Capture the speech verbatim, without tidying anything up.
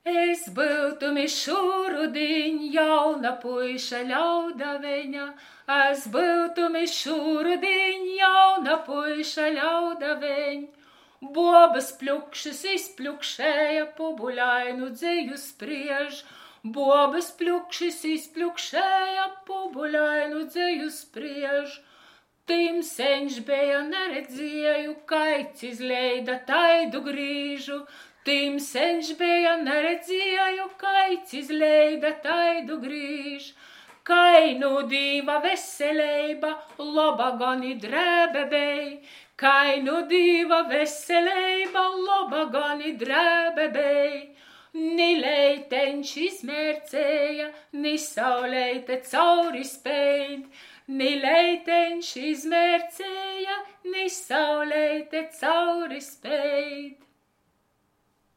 Es byutum i šūrudiņ jauna puiša ļaudaveņa, Es byutum i šūrudiņ jauna puiša ļaudaveņ. Buobys pļukšys izpļukšēja, pubuļainu dzeju spriež. Buobys pļukšys izpļukšēja, pubuļainu dzeju spriež. Tymseņš beja, naredzieju, kaids izleida taidu grīžu. Tymseņš beja, naredzieju, kaids izleida taidu grīž. Kai nu Dīva veseleiba, loba gon i drēbe bej. Kai nu Dīva veseleiba, loba gon i drēbe bej. Ni leiteņš izmērcēja, ni sauleite cauri speid. Ni leiteņš izmērcēja, ni sauleite cauri speid.